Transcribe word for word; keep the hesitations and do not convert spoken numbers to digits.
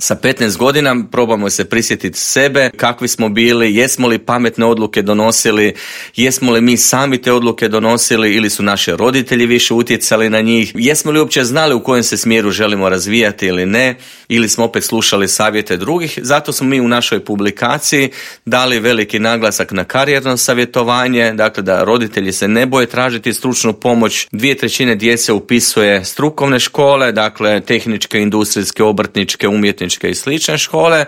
Sa petnaest godina probamo se prisjetiti sebe, kakvi smo bili, jesmo li pametne odluke donosili, jesmo li mi sami te odluke donosili ili su naši roditelji više utjecali na njih, jesmo li uopće znali u kojem se smjeru želimo razvijati ili ne, ili smo opet slušali savjete drugih. Zato smo mi u našoj publikaciji dali veliki naglasak na karijerno savjetovanje, dakle da roditelji se ne boje tražiti stručnu pomoć. Dvije trećine djece upisuje strukovne škole, dakle tehničke, industrijske, obrtničke, umjetničke i slične škole,